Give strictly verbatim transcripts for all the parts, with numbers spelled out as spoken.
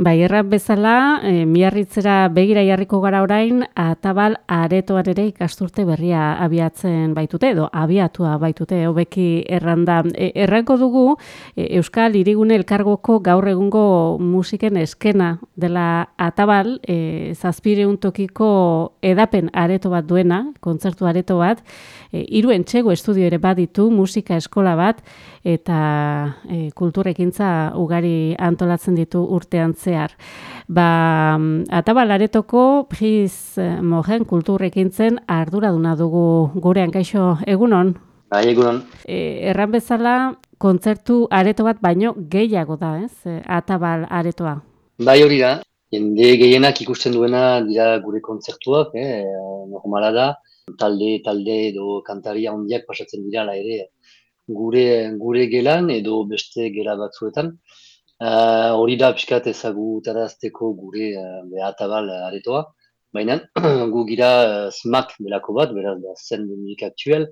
Bai, erran bezala, e, Miarritzera begira jarriko gara orain, Atabal aretoan ere ikasturte berria abiatzen baitute, edo abiatua baitute, hobeki erranda. E, erranko dugu, e, Euskal Hirigune Elkargoko gaur egungo musiken eskena dela Atabal, e, zazpireun tokiko edapen areto bat duena, kontzertu areto bat, e, hiru entxego estudio ere baditu, musika eskola bat, eta e, kulturekintza ugari antolatzen ditu urtean zehar. Ba, Atabal aretoko Pris Mojen kulturrekintzen arduraduna dugu gurean, kaixo, egunon? Bai, egunon. E, erran bezala, kontzertu areto bat baino gehiago da, ez? E, Atabal aretoa. Bai, hori da. Jende gehienak ikusten duena dira gure kontzertuak, eh, normala da. Talde, talde edo kantaria handiak pasatzen dira ala ere gure gure gelan edo beste gela batzuetan. Uh, hori da pixkat ezagutarazteko gure uh, Atabal aretoa. Baina gu gira uh, smak delako bat, beraz da zen de musik aktuel,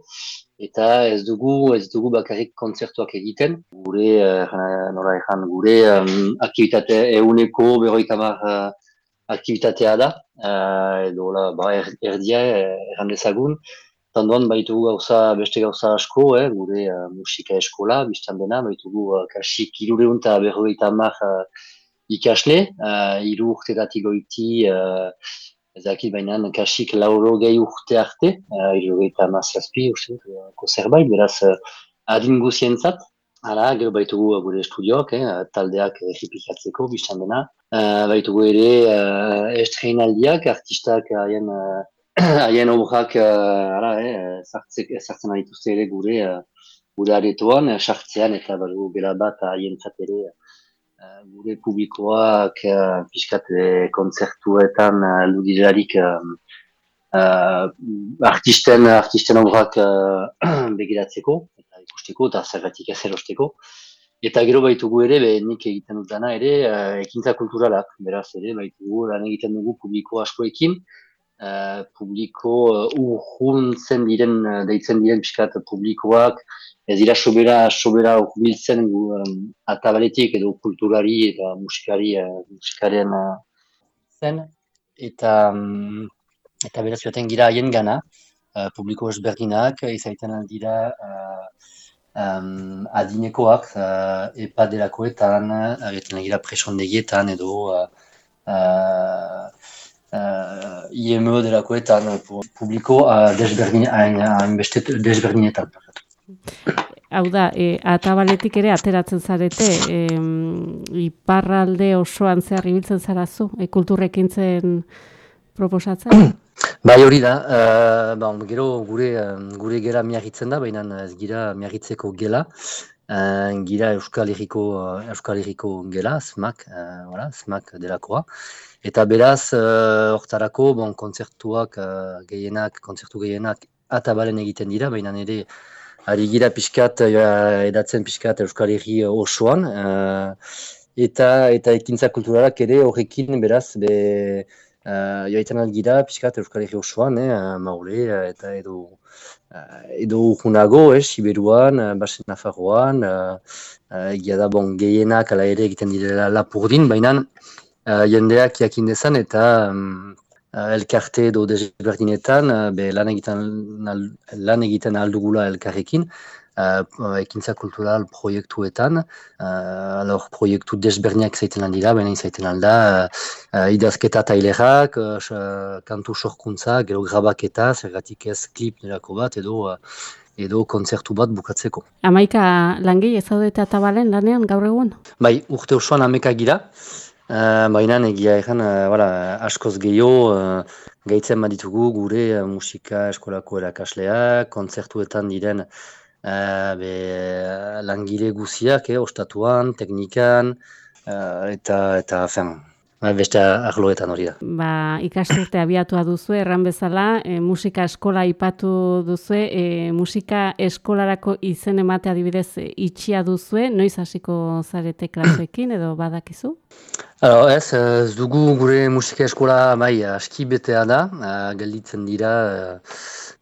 eta ez dugu ez dugu bakarrik kontzertuak egiten. Gure, uh, nola ezan, gure um, aktivitate eguneko berrogeita hamar uh, aktivitatea da, uh, edo la, ba, er, erdia erran dezagun. Tandoan baitugu gauza, beste gauza asko, eh, gure uh, musika eskola, biztan dena, baitugu uh, kasik irureun eta berrogeita hamar uh, ikasle, uh, iru urtetatik goiti, uh, ezakit bainan, kasik lauro gehi urte arte, uh, irureita hamar zazpi, uste, uh, zerbait, beraz, uh, adin guzientzat. Hala, gero baitugu uh, gure estudioak, eh, taldeak errepikatzeko, biztan dena. Uh, baitugu ere uh, estreinaldiak, artistak haien uh, haien obrak uh, eh, sartzen dituzte ere gure uh, gure aretoan, sartzean eta badugu bela bat haientzat ere uh, gure publikoak uh, pixkat uh, kontzertuetan uh, ludirarik uh, uh, artisten, artisten obrak uh, begiratzeko eta ikusteko eta zergatik ez erosteko. Eta gero baitugu ere, be, nik egiten dut dana ere, uh, ekintza kulturalak, beraz ere, baitugu lan egiten dugu publiko askoekin, uh, publiko uh, urruntzen diren, uh, deitzen diren pixkat publikoak, ez dira sobera, sobera urbiltzen um, Atabaletik edo kulturari eta musikari, uh, musikaren uh, zen, eta, um, eta beraz joaten gira haien gana, uh, publiko ezberdinak, izaiten dira uh, Um, adinekoak, uh, epaderakoetan, egiten gira presondegietan edo uh, uh, uh, I M E delakoetan, publiko uh, desberdin, hain beste desberdinetan. Hau da, e, Atabaletik ere ateratzen zarete, e, iparralde osoan zehar ibiltzen zarazu, e, kulturrekintzen proposatzen? Bai, hori da, uh, bon, gero gure, gure gela miarritzen da, baina ez gira miarritzeko gela, uh, gira Euskal Herriko, Euskal Herriko gela, smak, uh, voilà, smak delakoa. Eta beraz, hortarako, uh, bon, kontzertuak uh, gehienak, kontzertu gehienak Atabalen egiten dira, baina ere ari gira pixkat, uh, edatzen pixkat Euskal Herri osoan, uh, eta, eta ekintza kulturalak ere horrekin beraz, be, Uh, joaitan algira, pixkat Euskal Herri osoan, eh, maule, eta edo uh, edo urgunago, eh, Siberuan, uh, Basen Nafarroan, uh, uh, egia da, bon, gehienak ala ere egiten direla Lapurdin, baina uh, jendeak jakin dezan eta um, uh, elkarte edo desberdinetan, uh, be, lan egiten, lan egiten aldugula elkarrekin, Uh, ekintza kultural proiektuetan, uh, alor proiektu desberniak zaiten aldira, baina zaiten alda, uh, idazketa tailerak, uh, kantu sorkuntza, gero grabaketa, zergatik ez klip nerako bat, edo uh, edo kontzertu bat bukatzeko. Amaika langile ez zaudete Atabalen lanean gaur egun? Bai, urte osoan ameka gira, uh, baina egia egan, uh, voilà, askoz gehiago, uh, gaitzen baditugu gure uh, musika eskolako erakasleak, kontzertuetan diren Uh, be, langile guziak, eh, ostatuan, teknikan, uh, eta, eta fen, beste arloetan hori da. Ba, ikasturte abiatua duzu, erran bezala, e, musika eskola aipatu duzue, e, musika eskolarako izen emate adibidez e, itxia duzue, noiz hasiko zarete klaseekin edo badakizu? Alo, ez, ez dugu gure musika eskola bai aski betea da, uh, gelditzen dira uh,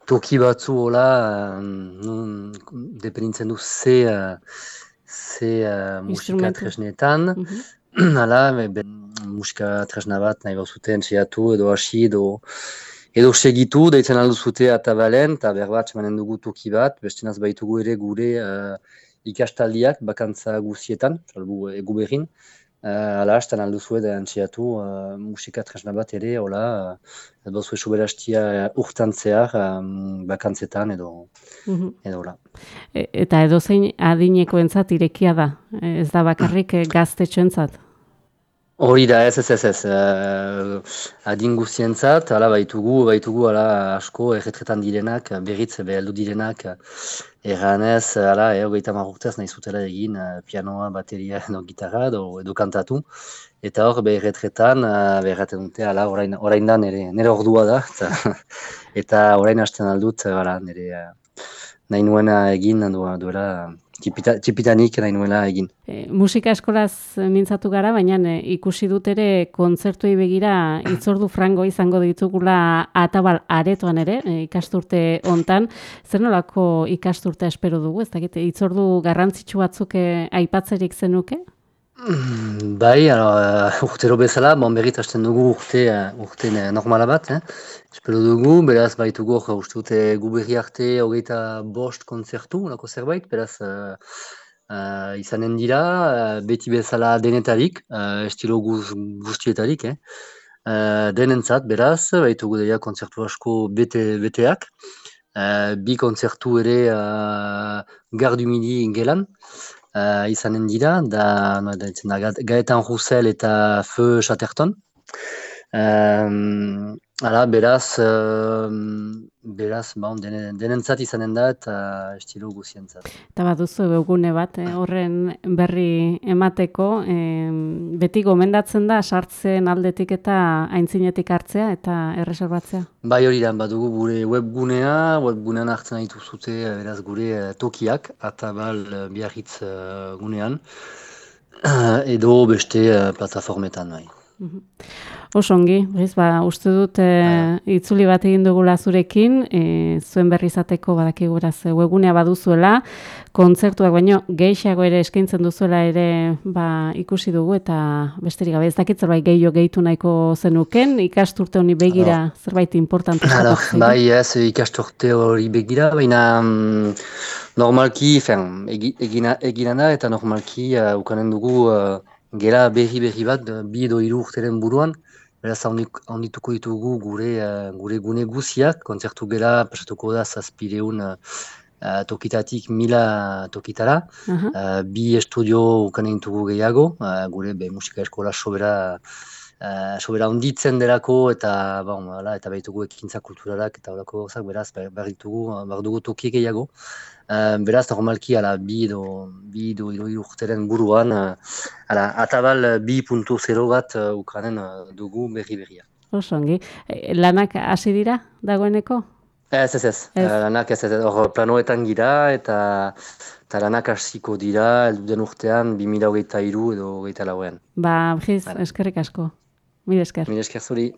toki batzu hola, uh, dependintzen du ze, uh, ze uh, musika tresnetan, Mhm. hala, be, musika tresna bat nahi bauzute entxeatu edo hasi edo edo segitu, deitzen aldu zute Atabalen, eta berbat emanen dugu toki bat, bestenaz baitugu ere gure uh, ikastaldiak bakantza guzietan, salbu egu berrin, uh, ala hastan aldu zuen da entxeatu uh, musika tresna bat ere, hola, uh, edo zuen soberastia urtan zehar um, bakantzetan edo, Mhm. edo hola. E- Eta edozein adinekoentzat irekia da, ez da bakarrik eh, gaztetxoentzat. Hori da, ez, ez, ez, ez. Uh, adin guztientzat, hala baitugu, baitugu, hala asko erretretan direnak, berriz beheldu direnak, erranez, hala, eh, hogeita hamar urtez nahi zutela egin uh, pianoa, bateria edo gitarra edo, edo kantatu. Eta hor, be erretretan, uh, berraten dute, hala, orain, orain da nire, nire ordua da, eta, eta orain hasten aldut, hala, nire uh, nahi nuena egin, du, duela, txipita, txipitanik nahi nuela egin. E, musika eskolaz mintzatu gara, baina e, ikusi dut ere kontzertuei begira hitzordu frango izango ditugula Atabal aretoan ere, e, ikasturte hontan. Zer nolako ikasturtea espero dugu? Ez dakit, hitzordu garrantzitsu batzuk e, aipatzerik zenuke? Mm, Bai, alo, uh, urtero bezala, bon berriz hasten dugu urte, uh, urte uh, normala bat, eh? Espero dugu, beraz baitugu, uh, uste dute gu berri arte hogeita bost kontzertu, lako zerbait, beraz uh, uh, izanen dira, uh, beti bezala denetarik, uh, estilo guz, guztietarik, eh? Uh, denentzat, beraz, baitugu deia kontzertu asko bete, beteak, uh, bi kontzertu ere uh, Gare du Midi gelan, Uh, izanen dira, da, no, da, da Gaetan Roussel eta Feu Chatterton. Um, ala, beraz, um, beraz, bon, denen, denentzat izanen da eta estilo guzientzat. Eta baduzu webgune bat, eh, horren berri emateko, eh, beti gomendatzen da sartzen aldetik eta aintzinetik hartzea eta erreserbatzea. Bai hori da, badugu gure webgunea, webgunean hartzen ditu zute, beraz gure uh, tokiak, Atabal uh, Biarritz uh, gunean, uh, edo beste uh, plataformetan bai. Mhm. Oso ongi, bez, ba, uste dut e, itzuli bat egin dugula zurekin, e, zuen berri izateko badakiguraz webgunea baduzuela, kontzertuak baino gehiago ere eskaintzen duzuela ere ba, ikusi dugu eta besterik gabe ez dakit zerbait gehiago gehitu nahiko zenuken, ikasturte honi begira Alors, zerbait importante Alors, eskatuko bai, ez ikasturte hori begira, baina mm, normalki, fen, egi, egina, egina da eta normalki uh, ukanen dugu uh, gela berri berri bat, uh, bi edo hiru urteren buruan, beraz handituko ditugu gure, uh, gure gune guziak, kontzertu gela pasatuko da zazpireun uh, uh, tokitatik mila tokitara, Aha. uh, bi estudio ukanen ditugu gehiago, uh, gure be, musika eskola sobera Uh, sobera onditzen derako eta bon, ala, eta baitugu ekintza kulturalak eta horako gauzak, beraz behar ditugu, behar dugu toki gehiago. Uh, beraz normalki ala, bi edo bi edo hiru urteren buruan uh, ala, Atabal bi puntu zero bat uh, Ukrainen uh, dugu berri berria. Oso ongi. E, lanak hasi dira dagoeneko? Ez, ez, ez. Ez. Uh, lanak ez, ez, ez. Hor planoetan gira eta eta lanak hasiko dira elduden urtean bi mila hogeita hiru edo hogeita lauean. Ba, Briz, eskerrik asko. Mil esker. Mil esker zuri.